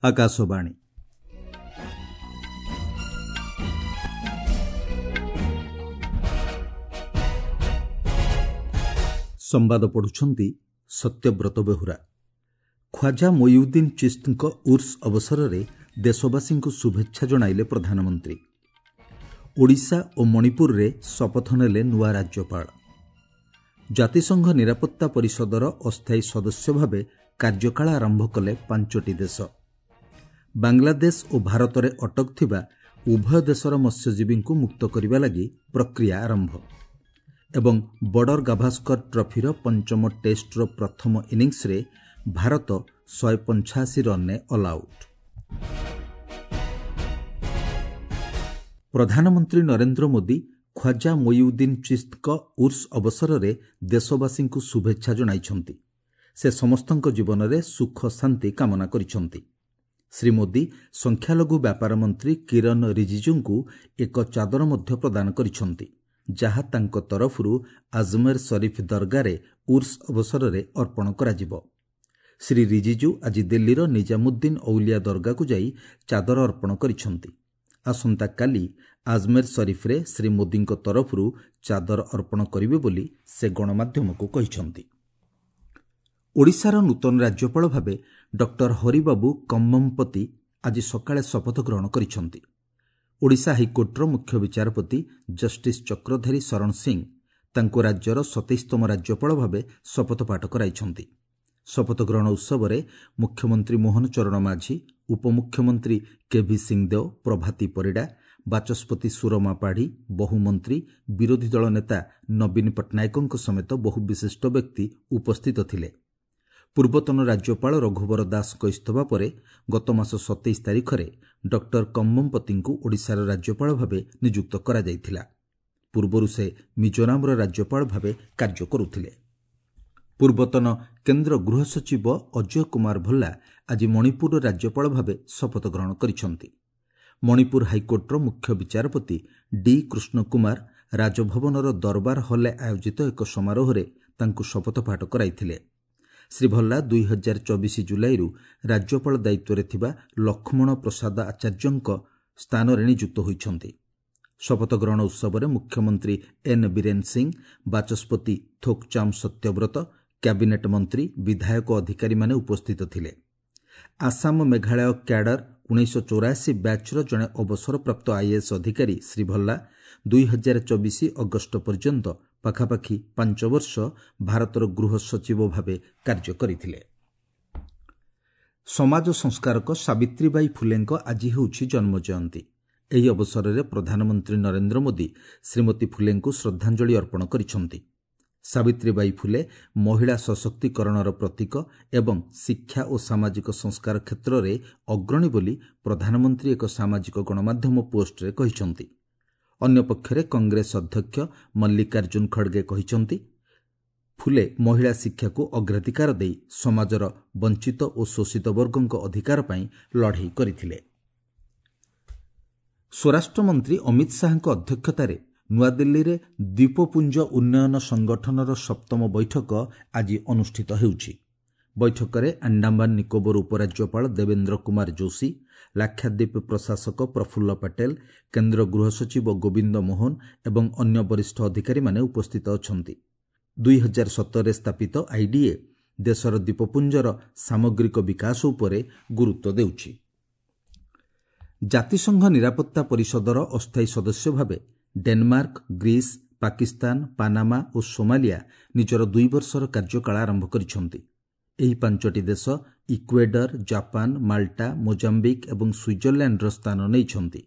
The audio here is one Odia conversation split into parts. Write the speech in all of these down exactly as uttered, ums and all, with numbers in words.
ଆକାଶବାଣୀ। ସମ୍ବାଦ ପଢ଼ୁଛନ୍ତି ସତ୍ୟବ୍ରତ ବେହୁରା। ଖ୍ୱାଜା ମୋଇଉଦ୍ଦିନ ଚିସ୍ତଙ୍କ ଉର୍ସ ଅବସରରେ ଦେଶବାସୀଙ୍କୁ ଶୁଭେଚ୍ଛା ଜଣାଇଲେ ପ୍ରଧାନମନ୍ତ୍ରୀ। ଓଡ଼ିଶା ଓ ମଣିପୁରରେ ଶପଥ ନେଲେ ନୂଆ ରାଜ୍ୟପାଳ। ଜାତିସଂଘ ନିରାପତ୍ତା ପରିଷଦର ଅସ୍ଥାୟୀ ସଦସ୍ୟ ଭାବେ କାର୍ଯ୍ୟକାଳ ଆରମ୍ଭ କଲେ ପାଞ୍ଚଟି ଦେଶ। ବାଂଲାଦେଶ ଓ ଭାରତରେ ଅଟକ ଥିବା ଉଭୟ ଦେଶର ମତ୍ସ୍ୟଜୀବୀଙ୍କୁ ମୁକ୍ତ କରିବା ଲାଗି ପ୍ରକ୍ରିୟା ଆରମ୍ଭ। ଏବଂ ବର୍ଡର ଗାଭାସ୍କର ଟ୍ରଫିର ପଞ୍ଚମ ଟେଷ୍ଟର ପ୍ରଥମ ଇନିଂସରେ ଭାରତ ଶହେ ପଞ୍ଚାଅଶୀ ରନ୍ରେ ଅଲ୍ଆଉଟ୍। ପ୍ରଧାନମନ୍ତ୍ରୀ ନରେନ୍ଦ୍ର ମୋଦି ଖ୍ୱାଜା ମୋଇଉଦ୍ଦିନ ଚିସ୍ତଙ୍କ ଉର୍ସ ଅବସରରେ ଦେଶବାସୀଙ୍କୁ ଶୁଭେଚ୍ଛା ଜଣାଇଛନ୍ତି। ସେ ସମସ୍ତଙ୍କ ଜୀବନରେ ସୁଖ ଶାନ୍ତି କାମନା କରିଛନ୍ତି। ଶ୍ରୀ ମୋଦି ସଂଖ୍ୟାଲଘୁ ବ୍ୟାପାର ମନ୍ତ୍ରୀ କିରଣ ରିଜିଜୁଙ୍କୁ ଏକ ଚାଦର ମଧ୍ୟ ପ୍ରଦାନ କରିଛନ୍ତି, ଯାହା ତାଙ୍କ ତରଫରୁ ଆଜମେର ସରିଫ ଦରଗାରେ ଉର୍ସ ଅବସରରେ ଅର୍ପଣ କରାଯିବ। ଶ୍ରୀ ରିଜିଜୁ ଆଜି ଦିଲ୍ଲୀର ନିଜାମୁଦ୍ଦିନ ଔଲିଆ ଦରଗାକୁ ଯାଇ ଚାଦର ଅର୍ପଣ କରିଛନ୍ତି। ଆସନ୍ତାକାଲି ଆଜମେର ସରିଫରେ ଶ୍ରୀ ମୋଦିଙ୍କ ତରଫରୁ ଚାଦର ଅର୍ପଣ କରିବେ ବୋଲି ସେ ଗଣମାଧ୍ୟମକୁ କହିଛନ୍ତି। ଓଡ଼ିଶାର ନୂତନ ରାଜ୍ୟପାଳ ଭାବେ ଡକ୍ଟର ହରିବାବୁ କମ୍ମମପତି ଆଜି ସକାଳେ ଶପଥ ଗ୍ରହଣ କରିଛନ୍ତି। ଓଡ଼ିଶା ହାଇକୋର୍ଟର ମୁଖ୍ୟ ବିଚାରପତି ଜଷ୍ଟିସ୍ ଚକ୍ରଧାରୀ ଶରଣ ସିଂ ତାଙ୍କୁ ରାଜ୍ୟର ସତେଇଶତମ ରାଜ୍ୟପାଳ ଭାବେ ଶପଥପାଠ କରାଇଛନ୍ତି। ଶପଥ ଗ୍ରହଣ ଉତ୍ସବରେ ମୁଖ୍ୟମନ୍ତ୍ରୀ ମୋହନ ଚରଣ ମାଝୀ, ଉପମୁଖ୍ୟମନ୍ତ୍ରୀ କେଭି ସିଂଦେଓ, ପ୍ରଭାତୀ ପରିଡ଼ା, ବାଚସ୍ପତି ସୁରମା ପାଢ଼ୀ, ବହୁ ମନ୍ତ୍ରୀ, ବିରୋଧୀ ଦଳ ନେତା ନବୀନ ପଟ୍ଟନାୟକଙ୍କ ସମେତ ବହୁ ବିଶିଷ୍ଟ ବ୍ୟକ୍ତି ଉପସ୍ଥିତ ଥିଲେ। ପୂର୍ବତନ ରାଜ୍ୟପାଳ ରଘୁବର ଦାସଙ୍କ ଇସ୍ତଫା ପରେ ଗତମାସ ସତେଇଶ ତାରିଖରେ ଡକ୍ଟର କମ୍ମମପତିଙ୍କୁ ଓଡ଼ିଶାର ରାଜ୍ୟପାଳ ଭାବେ ନିଯୁକ୍ତ କରାଯାଇଥିଲା। ପୂର୍ବରୁ ସେ ମିଜୋରାମର ରାଜ୍ୟପାଳ ଭାବେ କାର୍ଯ୍ୟ କରୁଥିଲେ। ପୂର୍ବତନ କେନ୍ଦ୍ର ଗୃହ ସଚିବ ଅଜୟ କୁମାର ଭଲ୍ଲା ଆଜି ମଣିପୁରର ରାଜ୍ୟପାଳ ଭାବେ ଶପଥ ଗ୍ରହଣ କରିଛନ୍ତି। ମଣିପୁର ହାଇକୋର୍ଟର ମୁଖ୍ୟ ବିଚାରପତି ଡି କୃଷ୍ଣ କୁମାର ରାଜଭବନର ଦରବାର ହଲ୍ରେ ଆୟୋଜିତ ଏକ ସମାରୋହରେ ତାଙ୍କୁ ଶପଥପାଠ କରାଇଥିଲେ। ଶ୍ରୀ ଭଲ୍ଲା ଦୁଇ ହଜାର ଚବିଶ ଜୁଲାଇରୁ ରାଜ୍ୟପାଳ ଦାୟିତ୍ୱରେ ଥିବା ଲକ୍ଷ୍ମଣ ପ୍ରସାଦ ଆଚାର୍ଯ୍ୟଙ୍କ ସ୍ଥାନରେ ନିଯୁକ୍ତ ହୋଇଛନ୍ତି। ଶପଥ ଗ୍ରହଣ ଉତ୍ସବରେ ମୁଖ୍ୟମନ୍ତ୍ରୀ ଏନ୍ ବୀରେନ ସିଂ, ବାଚସ୍ପତି ଥୋକଚାମ୍ ସତ୍ୟବ୍ରତ, କ୍ୟାବିନେଟ୍ ମନ୍ତ୍ରୀ, ବିଧାୟକ, ଅଧିକାରୀମାନେ ଉପସ୍ଥିତ ଥିଲେ। ଆସାମ ମେଘାଳୟ କ୍ୟାଡର ଉଣେଇଶହ ଚଉରାଅଶୀ ବ୍ୟାଚ୍ର ଜଣେ ଅବସରପ୍ରାପ୍ତ ଆଇଏଏସ୍ ଅଧିକାରୀ ଶ୍ରୀ ଭଲ୍ଲା ଦୁଇ ହଜାର ଚବିଶ ଅଗଷ୍ଟ ପର୍ଯ୍ୟନ୍ତ ପାଖାପାଖି ପାଞ୍ଚ ବର୍ଷ ଭାରତର ଗୃହ ସଚିବ ଭାବେ କାର୍ଯ୍ୟ କରିଥିଲେ। ସମାଜ ସଂସ୍କାରକ ସାବିତ୍ରୀବାଇ ଫୁଲେଙ୍କ ଆଜି ହେଉଛି ଜନ୍ମଜୟନ୍ତୀ। ଏହି ଅବସରରେ ପ୍ରଧାନମନ୍ତ୍ରୀ ନରେନ୍ଦ୍ର ମୋଦି ଶ୍ରୀମତୀ ଫୁଲେଙ୍କୁ ଶ୍ରଦ୍ଧାଞ୍ଜଳି ଅର୍ପଣ କରିଛନ୍ତି। ସାବିତ୍ରୀବାଇ ଫୁଲେ ମହିଳା ସଶକ୍ତିକରଣର ପ୍ରତୀକ ଏବଂ ଶିକ୍ଷା ଓ ସାମାଜିକ ସଂସ୍କାର କ୍ଷେତ୍ରରେ ଅଗ୍ରଣୀ ବୋଲି ପ୍ରଧାନମନ୍ତ୍ରୀ ଏକ ସାମାଜିକ ଗଣମାଧ୍ୟମ ପୋଷ୍ଟରେ କହିଛନ୍ତି। ଅନ୍ୟପକ୍ଷରେ କଂଗ୍ରେସ ଅଧ୍ୟକ୍ଷ ମଲ୍ଲିକାର୍ଜୁନ ଖଡ଼ଗେ କହିଛନ୍ତି, ଫୁଲେ ମହିଳା ଶିକ୍ଷାକୁ ଅଗ୍ରାଧିକାର ଦେଇ ସମାଜର ବଞ୍ଚିତ ଓ ଶୋଷିତ ବର୍ଗଙ୍କ ଅଧିକାର ପାଇଁ ଲଢ଼େଇ କରିଥିଲେ। ସ୍ୱରାଷ୍ଟ୍ରମନ୍ତ୍ରୀ ଅମିତ ଶାହାଙ୍କ ଅଧ୍ୟକ୍ଷତାରେ ନୂଆଦିଲ୍ଲୀରେ ଦ୍ୱୀପପୁଞ୍ଜ ଉନ୍ନୟନ ସଂଗଠନର ସପ୍ତମ ବୈଠକ ଆଜି ଅନୁଷ୍ଠିତ ହେଉଛି। ବୈଠକରେ ଆଣ୍ଡାମାନ ନିକୋବର ଉପରାଜ୍ୟପାଳ ଦେବେନ୍ଦ୍ର କୁମାର ଯୋଶୀ, ଲାକ୍ଷାଦ୍ୱୀପ ପ୍ରଶାସକ ପ୍ରଫୁଲ୍ଲ ପଟେଲ, କେନ୍ଦ୍ର ଗୃହ ସଚିବ ଗୋବିନ୍ଦ ମୋହନ ଏବଂ ଅନ୍ୟ ବରିଷ୍ଠ ଅଧିକାରୀମାନେ ଉପସ୍ଥିତ ଅଛନ୍ତି। ଦୁଇ ହଜାର ସତରରେ ସ୍ଥାପିତ ଆଇଡିଏ ଦେଶର ଦ୍ୱୀପପୁଞ୍ଜର ସାମଗ୍ରିକ ବିକାଶ ଉପରେ ଗୁରୁତ୍ୱ ଦେଉଛି। ଜାତିସଂଘ ନିରାପତ୍ତା ପରିଷଦର ଅସ୍ଥାୟୀ ସଦସ୍ୟ ଭାବେ ଡେନମାର୍କ, ଗ୍ରୀସ୍, ପାକିସ୍ତାନ, ପାନାମା ଓ ସୋମାଲିଆ ନିଜର ଦୁଇ ବର୍ଷର କାର୍ଯ୍ୟକାଳ ଆରମ୍ଭ କରିଛନ୍ତି। ଏହି ପାଞ୍ଚଟି ଦେଶ ଇକ୍ୱେଡର, ଜାପାନ, ମାଲ୍ଟା, ମୋଜାମ୍ବିକ୍ ଏବଂ ସୁଇଜରଲ୍ୟାଣ୍ଡର ସ୍ଥାନ ନେଇଛନ୍ତି।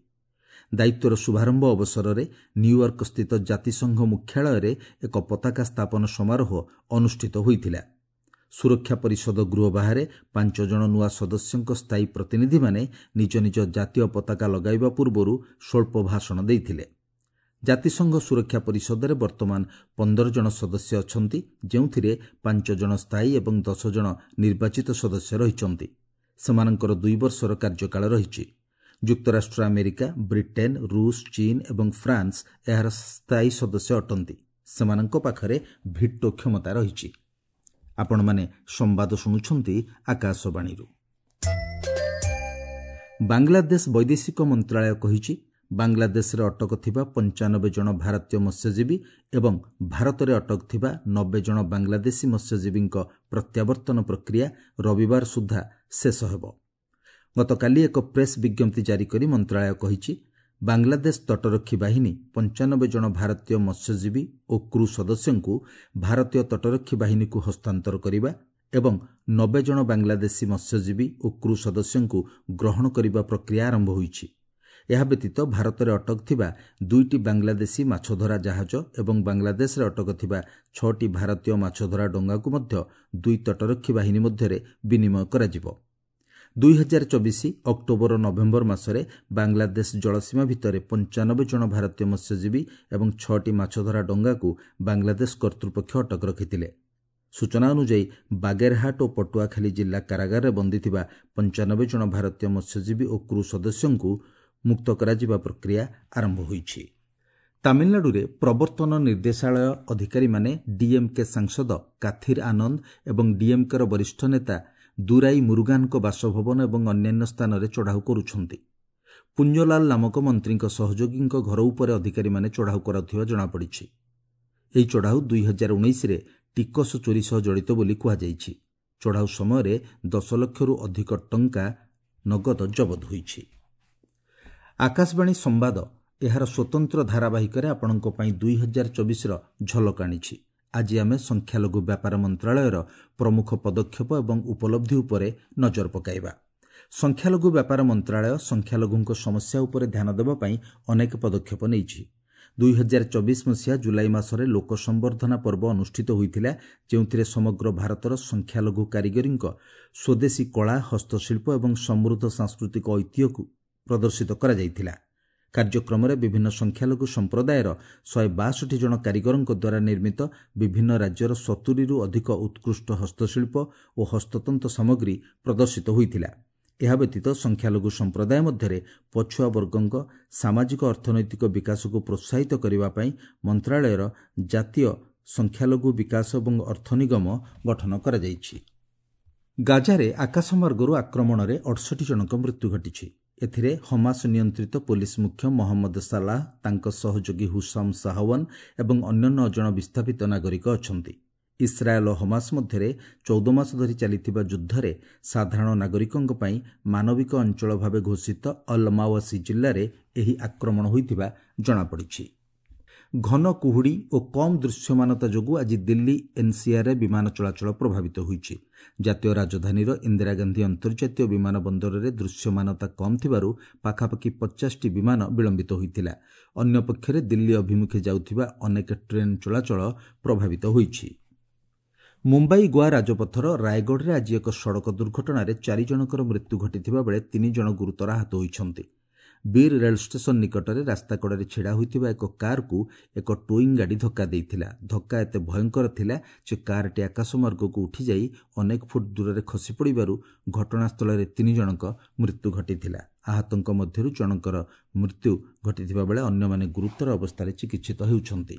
ଦାୟିତ୍ୱର ଶୁଭାରମ୍ଭ ଅବସରରେ ନ୍ୟୁୟର୍କସ୍ଥିତ ଜାତିସଂଘ ମୁଖ୍ୟାଳୟରେ ଏକ ପତାକା ସ୍ଥାପନ ସମାରୋହ ଅନୁଷ୍ଠିତ ହୋଇଥିଲା। ସୁରକ୍ଷା ପରିଷଦ ଗୃହ ବାହାରେ ପାଞ୍ଚ ଜଣ ନୂଆ ସଦସ୍ୟଙ୍କ ସ୍ଥାୟୀ ପ୍ରତିନିଧିମାନେ ନିଜ ନିଜ ଜାତୀୟ ପତାକା ଲଗାଇବା ପୂର୍ବରୁ ସ୍ୱଳ୍ପ ଭାଷଣ ଦେଇଥିଲେ। ଜାତିସଂଘ ସୁରକ୍ଷା ପରିଷଦରେ ବର୍ତ୍ତମାନ ପନ୍ଦର ଜଣ ସଦସ୍ୟ ଅଛନ୍ତି, ଯେଉଁଥିରେ ପାଞ୍ଚ ଜଣ ସ୍ଥାୟୀ ଏବଂ ଦଶ ଜଣ ନିର୍ବାଚିତ ସଦସ୍ୟ ରହିଛନ୍ତି। ସେମାନଙ୍କର ଦୁଇ ବର୍ଷର କାର୍ଯ୍ୟକାଳ ରହିଛି। ଯୁକ୍ତରାଷ୍ଟ୍ର ଆମେରିକା, ବ୍ରିଟେନ୍, ରୁଷ, ଚୀନ୍ ଏବଂ ଫ୍ରାନ୍ସ ଏହାର ସ୍ଥାୟୀ ସଦସ୍ୟ ଅଟନ୍ତି। ସେମାନଙ୍କ ପାଖରେ ଭିଟୋ କ୍ଷମତା ରହିଛି। ଆପଣମାନେ ସମ୍ବାଦ ଶୁଣୁଛନ୍ତି ଆକାଶବାଣୀରୁ। ବାଂଲାଦେଶ ବୈଦେଶିକ ମନ୍ତ୍ରାଳୟ କହିଛି, ବାଂଲାଦେଶରେ ଅଟକ ଥିବା ପଞ୍ଚାନବେ ଜଣ ଭାରତୀୟ ମତ୍ସ୍ୟଜୀବୀ ଏବଂ ଭାରତରେ ଅଟକ ଥିବା ନବେ ଜଣ ବାଂଲାଦେଶୀ ମତ୍ସ୍ୟଜୀବୀଙ୍କ ପ୍ରତ୍ୟାବର୍ତ୍ତନ ପ୍ରକ୍ରିୟା ରବିବାର ସୁଦ୍ଧା ଶେଷ ହେବ। ଗତକାଲି ଏକ ପ୍ରେସ୍ ବିଜ୍ଞପ୍ତି ଜାରି କରି ମନ୍ତ୍ରାଳୟ କହିଛି, ବାଂଲାଦେଶ ତଟରକ୍ଷୀ ବାହିନୀ ପଞ୍ଚାନବେ ଜଣ ଭାରତୀୟ ମତ୍ସ୍ୟଜୀବୀ ଓ କ୍ରୁ ସଦସ୍ୟଙ୍କୁ ଭାରତୀୟ ତଟରକ୍ଷୀ ବାହିନୀକୁ ହସ୍ତାନ୍ତର କରିବା ଏବଂ ନବେ ଜଣ ବାଂଲାଦେଶୀ ମତ୍ସ୍ୟଜୀବୀ ଓ କ୍ରୁ ସଦସ୍ୟଙ୍କୁ ଗ୍ରହଣ କରିବା ପ୍ରକ୍ରିୟା ଆରମ୍ଭ ହୋଇଛି। ଏହା ବ୍ୟତୀତ ଭାରତରେ ଅଟକ ଥିବା ଦୁଇଟି ବାଂଲାଦେଶୀ ମାଛଧରା ଜାହାଜ ଏବଂ ବାଂଲାଦେଶରେ ଅଟକ ଥିବା ଛଅଟି ଭାରତୀୟ ମାଛଧରା ଡଙ୍ଗାକୁ ମଧ୍ୟ ଦୁଇ ତଟରକ୍ଷୀ ବାହିନୀ ମଧ୍ୟରେ ବିନିମୟ କରାଯିବ। ଦୁଇ ହଜାର ଚବିଶ ଅକ୍ଟୋବର ନଭେମ୍ବର ମାସରେ ବାଂଲାଦେଶ ଜଳସୀମା ଭିତରେ ପଞ୍ଚାନବେ ଜଣ ଭାରତୀୟ ମତ୍ସ୍ୟଜୀବୀ ଏବଂ ଛଅଟି ମାଛଧରା ଡଙ୍ଗାକୁ ବାଂଲାଦେଶ କର୍ତ୍ତୃପକ୍ଷ ଅଟକ ରଖିଥିଲେ। ସୂଚନା ଅନୁଯାୟୀ, ବାଗେରହାଟ ଓ ପଟୁଆଖାଲି ଜିଲ୍ଲା କାରାଗାରରେ ବନ୍ଦୀ ଥିବା ପଞ୍ଚାନବେ ଜଣ ଭାରତୀୟ ମତ୍ସ୍ୟଜୀବୀ ଓ କ୍ରୁ ସଦସ୍ୟଙ୍କୁ ମୁକ୍ତ କରାଯିବା ପ୍ରକ୍ରିୟା ଆରମ୍ଭ ହୋଇଛି। ତାମିଲନାଡୁରେ ପ୍ରବର୍ତ୍ତନ ନିର୍ଦ୍ଦେଶାଳୟ ଅଧିକାରୀମାନେ ଡିଏମ୍କେ ସାଂସଦ କାଥିର ଆନନ୍ଦ ଏବଂ ଡିଏମ୍କେର ବରିଷ୍ଠ ନେତା ଦୁରାଇ ମୁରୁଗାନଙ୍କ ବାସଭବନ ଏବଂ ଅନ୍ୟାନ୍ୟ ସ୍ଥାନରେ ଚଢ଼ାଉ କରୁଛନ୍ତି। ପୁଣ୍ୟଲାଲ ନାମକ ମନ୍ତ୍ରୀଙ୍କ ସହଯୋଗୀଙ୍କ ଘର ଉପରେ ଅଧିକାରୀମାନେ ଚଢ଼ାଉ କରାଉଥିବା ଜଣାପଡ଼ିଛି। ଏହି ଚଢ଼ାଉ ଦୁଇ ହଜାର ଉଣେଇଶରେ ଟିକସ ଚୋରି ସହ ଜଡ଼ିତ ବୋଲି କୁହାଯାଇଛି। ଚଢ଼ାଉ ସମୟରେ ଦଶ ଲକ୍ଷରୁ ଅଧିକ ଟଙ୍କା ନଗଦ ଜବତ ହୋଇଛି। ଆକାଶବାଣୀ ସମ୍ବାଦ ଏହାର ସ୍ୱତନ୍ତ୍ର ଧାରାବାହିକରେ ଆପଣଙ୍କ ପାଇଁ ଦୁଇ ହଜାର ଚବିଶର ଝଲକ ଆଣିଛି। ଆଜି ଆମେ ସଂଖ୍ୟାଲଘୁ ବ୍ୟାପାର ମନ୍ତ୍ରାଳୟର ପ୍ରମୁଖ ପଦକ୍ଷେପ ଏବଂ ଉପଲବ୍ଧି ଉପରେ ନଜର ପକାଇବା। ସଂଖ୍ୟାଲଘୁ ବ୍ୟାପାର ମନ୍ତ୍ରାଳୟ ସଂଖ୍ୟାଲଘୁଙ୍କ ସମସ୍ୟା ଉପରେ ଧ୍ୟାନ ଦେବା ପାଇଁ ଅନେକ ପଦକ୍ଷେପ ନେଇଛି। ଦୁଇ ହଜାର ଚବିଶ ମସିହା ଜୁଲାଇ ମାସରେ ଲୋକ ସମ୍ବର୍ଦ୍ଧନା ପର୍ବ ଅନୁଷ୍ଠିତ ହୋଇଥିଲା, ଯେଉଁଥିରେ ସମଗ୍ର ଭାରତର ସଂଖ୍ୟାଲଘୁ କାରିଗରୀଙ୍କ ସ୍ୱଦେଶୀ କଳା, ହସ୍ତଶିଳ୍ପ ଏବଂ ସମୃଦ୍ଧ ସାଂସ୍କୃତିକ ଐତିହ୍ୟକୁ ପ୍ରଦର୍ଶିତ କରାଯାଇଥିଲା। କାର୍ଯ୍ୟକ୍ରମରେ ବିଭିନ୍ନ ସଂଖ୍ୟାଲଘୁ ସମ୍ପ୍ରଦାୟର ଶହେ ବାଷଠି ଜଣ କାରିଗରଙ୍କ ଦ୍ୱାରା ନିର୍ମିତ ବିଭିନ୍ନ ରାଜ୍ୟର ସତୁରିରୁ ଅଧିକ ଉତ୍କୃଷ୍ଟ ହସ୍ତଶିଳ୍ପ ଓ ହସ୍ତତନ୍ତ ସାମଗ୍ରୀ ପ୍ରଦର୍ଶିତ ହୋଇଥିଲା। ଏହା ବ୍ୟତୀତ ସଂଖ୍ୟାଲଘୁ ସମ୍ପ୍ରଦାୟ ମଧ୍ୟରେ ପଛୁଆ ବର୍ଗଙ୍କ ସାମାଜିକ ଅର୍ଥନୈତିକ ବିକାଶକୁ ପ୍ରୋତ୍ସାହିତ କରିବା ପାଇଁ ମନ୍ତ୍ରାଳୟର ଜାତୀୟ ସଂଖ୍ୟାଲଘୁ ବିକାଶ ଏବଂ ଅର୍ଥ ନିଗମ ଗଠନ କରାଯାଇଛି। ଗାଜାରେ ଆକାଶମାର୍ଗରୁ ଆକ୍ରମଣରେ ଅଠଷଠି ଜଣଙ୍କ ମୃତ୍ୟୁ ଘଟିଛି। ଏଥିରେ ହମାସ ନିୟନ୍ତ୍ରିତ ପୋଲିସ ମୁଖ୍ୟ ମହମ୍ମଦ ସାଲାହ, ତାଙ୍କ ସହଯୋଗୀ ହୁସାମ ସାହୱାନ ଏବଂ ଅନ୍ୟ ନଅ ଜଣ ବିସ୍ଥାପିତ ନାଗରିକ ଅଛନ୍ତି। ଇସ୍ରାଏଲ୍ ଓ ହମାସ ମଧ୍ୟରେ ଚଉଦ ମାସ ଧରି ଚାଲିଥିବା ଯୁଦ୍ଧରେ ସାଧାରଣ ନାଗରିକଙ୍କ ପାଇଁ ମାନବିକ ଅଞ୍ଚଳ ଭାବେ ଘୋଷିତ ଅଲ୍ ମାୱାସି ଜିଲ୍ଲାରେ ଏହି ଆକ୍ରମଣ ହୋଇଥିବା ଜଣାପଡ଼ିଛି। ଘନ କୁହୁଡ଼ି ଓ କମ୍ ଦୃଶ୍ୟମାନତା ଯୋଗୁଁ ଆଜି ଦିଲ୍ଲୀ ଏନ୍ସିଆର୍ରେ ବିମାନ ଚଳାଚଳ ପ୍ରଭାବିତ ହୋଇଛି। ଜାତୀୟ ରାଜଧାନୀର ଇନ୍ଦିରା ଗାନ୍ଧୀ ଅନ୍ତର୍ଜାତୀୟ ବିମାନ ବନ୍ଦରରେ ଦୃଶ୍ୟମାନତା କମ୍ ଥିବାରୁ ପାଖାପାଖି ପଚାଶଟି ବିମାନ ବିଳମ୍ବିତ ହୋଇଥିଲା। ଅନ୍ୟପକ୍ଷରେ ଦିଲ୍ଲୀ ଅଭିମୁଖେ ଯାଉଥିବା ଅନେକ ଟ୍ରେନ୍ ଚଳାଚଳ ପ୍ରଭାବିତ ହୋଇଛି। ମୁମ୍ବାଇ ଗୋଆ ରାଜପଥର ରାୟଗଡ଼ରେ ଆଜି ଏକ ସଡ଼କ ଦୁର୍ଘଟଣାରେ ଚାରି ଜଣଙ୍କର ମୃତ୍ୟୁ ଘଟିଥିବା ବେଳେ ତିନି ଜଣ ଗୁରୁତର ଆହତ ହୋଇଛନ୍ତି। ବୀର ରେଳ ଷ୍ଟେସନ ନିକଟରେ ରାସ୍ତାକଡ଼ରେ ଛିଡ଼ା ହୋଇଥିବା ଏକ କାର୍କୁ ଏକ ଟୋଇଂ ଗାଡ଼ି ଧକ୍କା ଦେଇଥିଲା। ଧକ୍କା ଏତେ ଭୟଙ୍କର ଥିଲା ଯେ କାର୍ଟି ଆକାଶମାର୍ଗକୁ ଉଠିଯାଇ ଅନେକ ଫୁଟ ଦୂରରେ ଖସି ପଡ଼ିବାରୁ ଘଟଣାସ୍ଥଳରେ ତିନି ଜଣଙ୍କ ମୃତ୍ୟୁ ଘଟିଥିଲା। ଆହତଙ୍କ ମଧ୍ୟରୁ ଜଣଙ୍କର ମୃତ୍ୟୁ ଘଟିଥିବା ବେଳେ ଅନ୍ୟମାନେ ଗୁରୁତର ଅବସ୍ଥାରେ ଚିକିତ୍ସିତ ହେଉଛନ୍ତି।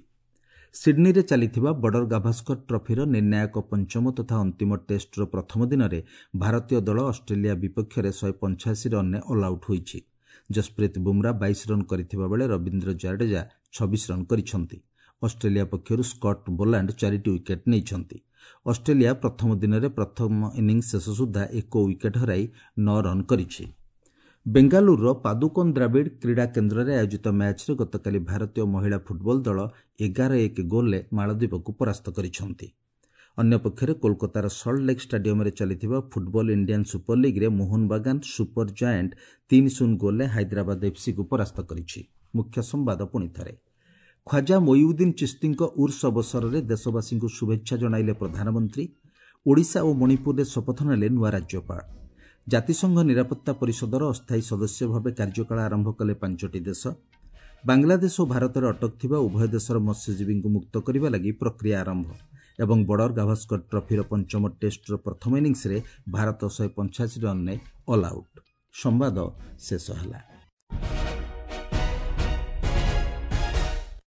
ସିଡ୍ନୀରେ ଚାଲିଥିବା ବର୍ଡର ଗାଭାସ୍କର ଟ୍ରଫିର ନିର୍ଣ୍ଣାୟକ ପଞ୍ଚମ ତଥା ଅନ୍ତିମ ଟେଷ୍ଟର ପ୍ରଥମ ଦିନରେ ଭାରତୀୟ ଦଳ ଅଷ୍ଟ୍ରେଲିଆ ବିପକ୍ଷରେ ଶହେ ପଞ୍ଚାଅଶୀ ରନ୍ରେ ଅଲ୍ଆଉଟ୍ ହୋଇଛି। ଜସପ୍ରୀତ ବୁମ୍ରା ବାଇଶ ରନ୍ କରିଥିବା ବେଳେ ରବୀନ୍ଦ୍ର ଜାଡେଜା ଛବିଶ ରନ୍ କରିଛନ୍ତି। ଅଷ୍ଟ୍ରେଲିଆ ପକ୍ଷରୁ ସ୍କଟ୍ ବୋଲାଣ୍ଡ ଚାରିଟି ୱିକେଟ୍ ନେଇଛନ୍ତି। ଅଷ୍ଟ୍ରେଲିଆ ପ୍ରଥମ ଦିନରେ ପ୍ରଥମ ଇନିଂସ ଶେଷ ସୁଦ୍ଧା ଏକ ୱିକେଟ୍ ହରାଇ ନଅ ରନ୍ କରିଛି। ବେଙ୍ଗାଲୁରୁର ପାଦୁକୋନ୍ ଦ୍ରାବିଡ଼ କ୍ରୀଡ଼ା କେନ୍ଦ୍ରରେ ଆୟୋଜିତ ମ୍ୟାଚ୍ରେ ଗତକାଲି ଭାରତୀୟ ମହିଳା ଫୁଟବଲ ଦଳ ଏଗାର ଏକ ଗୋଲ୍ରେ ମାଳଦ୍ୱୀପକୁ ପରାସ୍ତ କରିଛନ୍ତି। ଅନ୍ୟପକ୍ଷରେ କୋଲକାତାର ସଲ୍ଟ ଲେକ୍ ଷ୍ଟାଡିୟମରେ ଚାଲିଥିବା ଫୁଟବଲ ଇଣ୍ଡିଆନ୍ ସୁପର ଲିଗ୍ରେ ମୋହନବାଗାନ ସୁପର ଜାଏଣ୍ଟ ତିନି ଶୂନ ଗୋଲ୍ରେ ହାଇଦ୍ରାବାଦ ଏଫ୍ସିକୁ ପରାସ୍ତ କରିଛି। ମୁଖ୍ୟ ସମ୍ବାଦ ପୁଣି ଥରେ, ଖ୍ୱାଜା ମୋଇଉଦ୍ଦିନ ଚିସ୍ତିଙ୍କ ଉର୍ସ ଅବସରରେ ଦେଶବାସୀଙ୍କୁ ଶୁଭେଚ୍ଛା ଜଣାଇଲେ ପ୍ରଧାନମନ୍ତ୍ରୀ। ଓଡ଼ିଶା ଓ ମଣିପୁରରେ ଶପଥ ନେଲେ ନୂଆ ରାଜ୍ୟପାଳ। ଜାତିସଂଘ ନିରାପତ୍ତା ପରିଷଦର ଅସ୍ଥାୟୀ ସଦସ୍ୟ ଭାବେ କାର୍ଯ୍ୟକାଳ ଆରମ୍ଭ କଲେ ପାଞ୍ଚଟି ଦେଶ। ବାଂଲାଦେଶ ଓ ଭାରତରେ ଅଟକ ଥିବା ଉଭୟ ଦେଶର ମତ୍ସ୍ୟଜୀବୀଙ୍କୁ ମୁକ୍ତ କରିବା ଲାଗି ପ୍ରକ୍ରିୟା ଆରମ୍ଭ। ଏବଂ ବର୍ଡର ଗାଭାସ୍କର ଟ୍ରଫିର ପଞ୍ଚମ ଟେଷ୍ଟର ପ୍ରଥମ ଇନିଂସରେ ଭାରତ ଶହେ ପଞ୍ଚାଅଶୀ ରନ୍ରେ ଅଲ୍ ଆଉଟ୍। ସମ୍ବାଦ ଶେଷ ହେଲା।